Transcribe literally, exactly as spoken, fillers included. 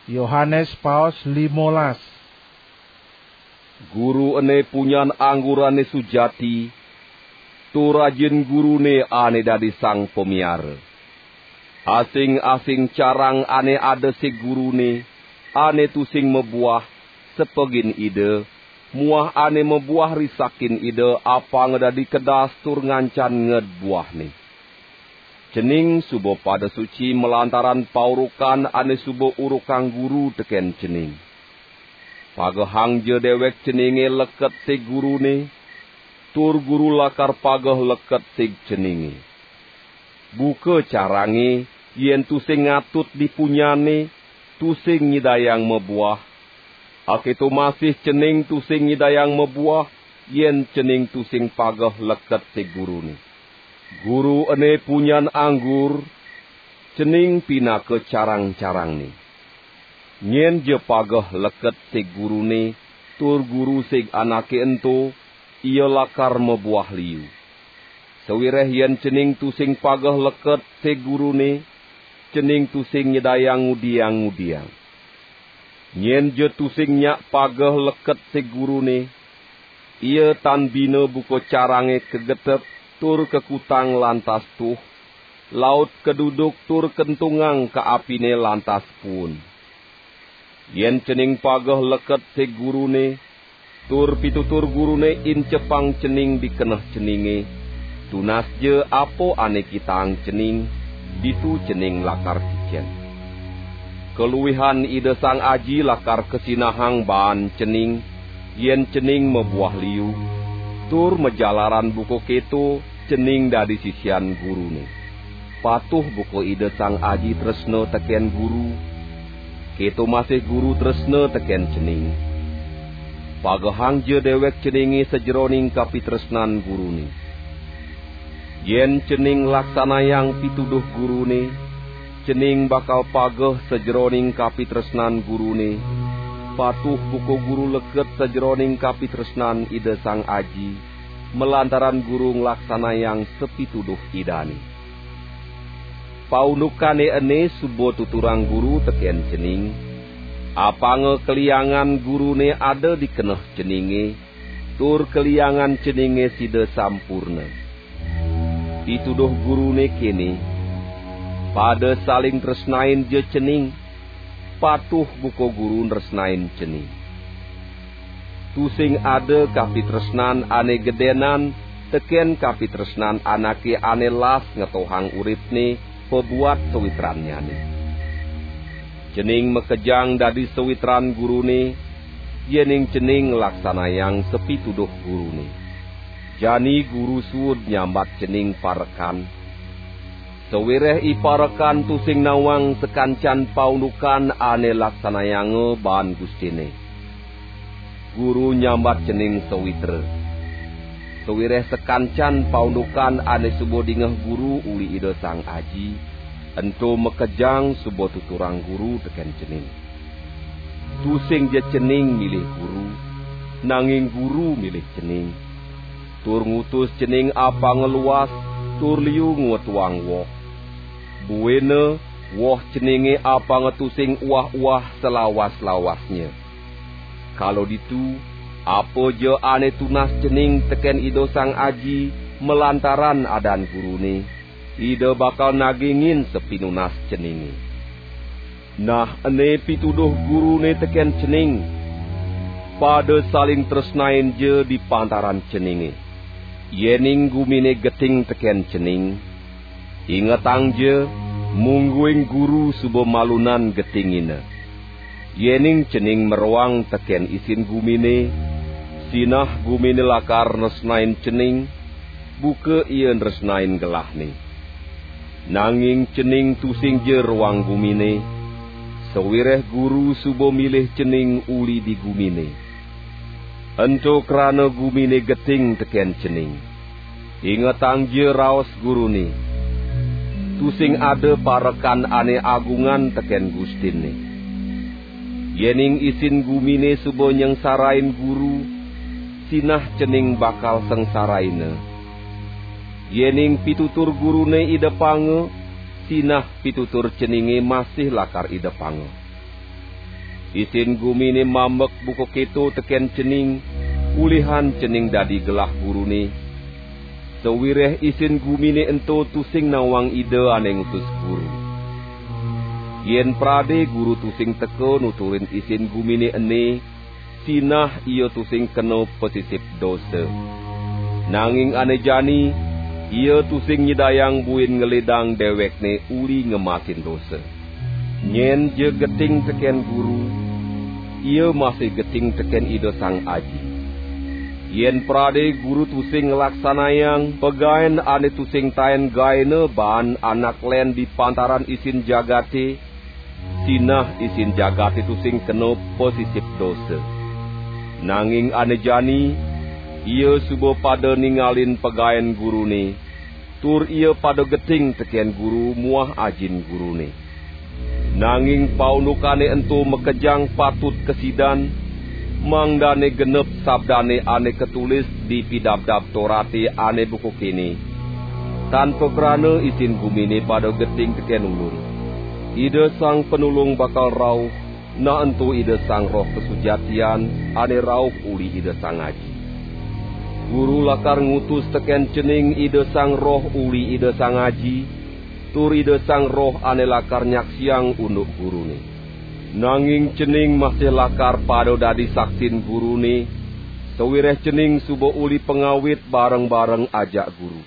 Yohanes paos limolas. Guru ene punyan anggurane sujati, tur ajin gurune ane dadi sang pamiara. Asing-asing carang ane ada sig gurune, ane tusing mabuah, sepegin Ida, muah ane mabuah risakin Ida apanga dadi kedas tur ngancan nged buahne. Cening suba pada suci malantaran paurukan ane suba urukang guru teken cening. Pagehangja dewek ceninge leket sig gurune, tur guru lakar pageh leket sig ceninge. Buka carange, yen tusing ngatut di punyane, tusing nyidayang mabuah. Aketo masih cening tusing nyidayang mabuah, yen cening tusing pageh leket sig gurune. Guru ene punyan anggur, cening pinaka carang-carangne. Nyen ja pageh leket sig gurune, tur guru sig anake ento, ia lakar mabuah liu. Sawireh yen cening tusing pageh leket sig gurune, cening tusing nyidayang ngudiang-ngudiang. Nyen ja tusing nyak pageh leket sig gurune, ia tan bina buka carange kagetep tur kakutang lantas tuh, laut kaduduk tur kentungang ka apine lantas puun. Yen cening pageh leket sig gurune, tur pitutur gurune incepang cening di keneh ceninge, tunas ja apa ane kitaang cening, ditu cening lakar kicen. Kaluihan Ida Sang Aji lakar kasinahang baan cening, yen cening mabuah liu, tur majalaran buka keto cening dadi sisian gurune. Patuh buka Ida Sang Aji tresna teken guru, keto masih guru tresna teken cening. Pagehangja dewek ceninge sajeroning kapitresnan gurune. Yen cening laksanayang pituduh gurune, cening bakal pageh sajeroning kapitresnan gurune, patuh buka guru leket sajeroning kapitresnan Ida Sang Aji, malantaran guru nglaksanayang sapituduh Idane. Paundukane ene suba tuturang guru teken cening, apanga kaliangan gurune ada di keneh ceninge, tur kaliangan ceninge sida sampurna. Pituduh gurune kene, pada saling tresnain ja cening, patuh buka guru nresnain cening. Tusing ada kapitresnan ane gedenan teken kapitresnan anake ane las ngetohang uripne pabuat sawitrannyane. Cening makejang dadi sawitran gurune, yening cening nglaksanayang sapituduh gurune. Jani guru suud nyambat cening parekan. Sawireh iparekan tusing nawang sakancan paundukan ane laksanayanga baan gustine. Guru nyambat cening sawitra. Sawireh sakancan paundukan ane suba dingeh guru uli Ida Sang Aji, ento makejang suba tuturang guru teken cening. Tusing ja cening milih guru, nanging guru milih cening, tur ngutus cening apanga luas, tur liu ngwetuang woh. Buina woh ceninge apanga tusing uwah-uwah salawas-lawasnya. Kala ditu, apa ja ane tunas cening teken Ida Sang Aji malantaran adan gurune, Ida bakal nagingin sapinunas ceninge. Nah, ene pituduh gurune teken cening, pada saling tresnain ja di pantaran ceninge. Yening gumine geting teken cening, ingetang ja, mungguing guru suba malunan getingina. Yening cening maroang teken isin gumine, sinah gumine lakar nresnain cening, buka ia nresnain gelahne. Nanging cening tusing ja roang gumine, sawireh guru suba milih cening uli di gumine. Ento krana gumine geting teken cening. Ingetang ja raos gurune. Tusing ada parekan ane agungan teken gustinne. Yening isin gumine suba nyengsarain guru, sinah cening bakal sengsaraina. Yening pitutur gurune idepanga, sinah pitutur ceninge masih lakar idepanga. Isin gumine mambek buka keto teken cening, ulihan cening dadi gelah Gurune. Sawireh isin gumine ento tusing nawang Ida ane ngutus Guru. Yen prade Guru tusing teka nuturin isin gumine ene, sinah ia tusing kena pasisip dosa. Nanging ane jani, ia tusing nyidayang buin ngelidang dewekne uli ngemasin dosa. Nyen ja geting teken Guru, ia masih geting teken Ida Sang Aji. Yen prade Guru tusing nglaksanayang pagaen ane tusing taen gaena baan anak len di pantaran isin jagate, sinah isin jagate tusing kena pasisip dosa. Nanging ane jani, ia suba pada ningalin pagaen Gurune, tur ia pada geting teken Guru muah Ajin Gurune. Nanging paundukane ento makejang patut kasidan, mangdane genep sabdane ane katulis di Pidabdab Torate ane buka kene, "Tan pakrana isin gumine pada geting teken Ulun. Ida Sang Panulung bakal rauh, nah ento Ida Sang Roh Kasujatian ane rauh uli Ida Sang Aji." Guru lakar ngutus teken cening Ida Sang Roh uli Ida Sang Aji, tur Ida Sang Roh ane lakar nyaksiang unduk Gurune. Nanging cening masih lakar pada dadi saksin Gurune, sawireh cening suba uli pangawit bareng-bareng ajak Guru.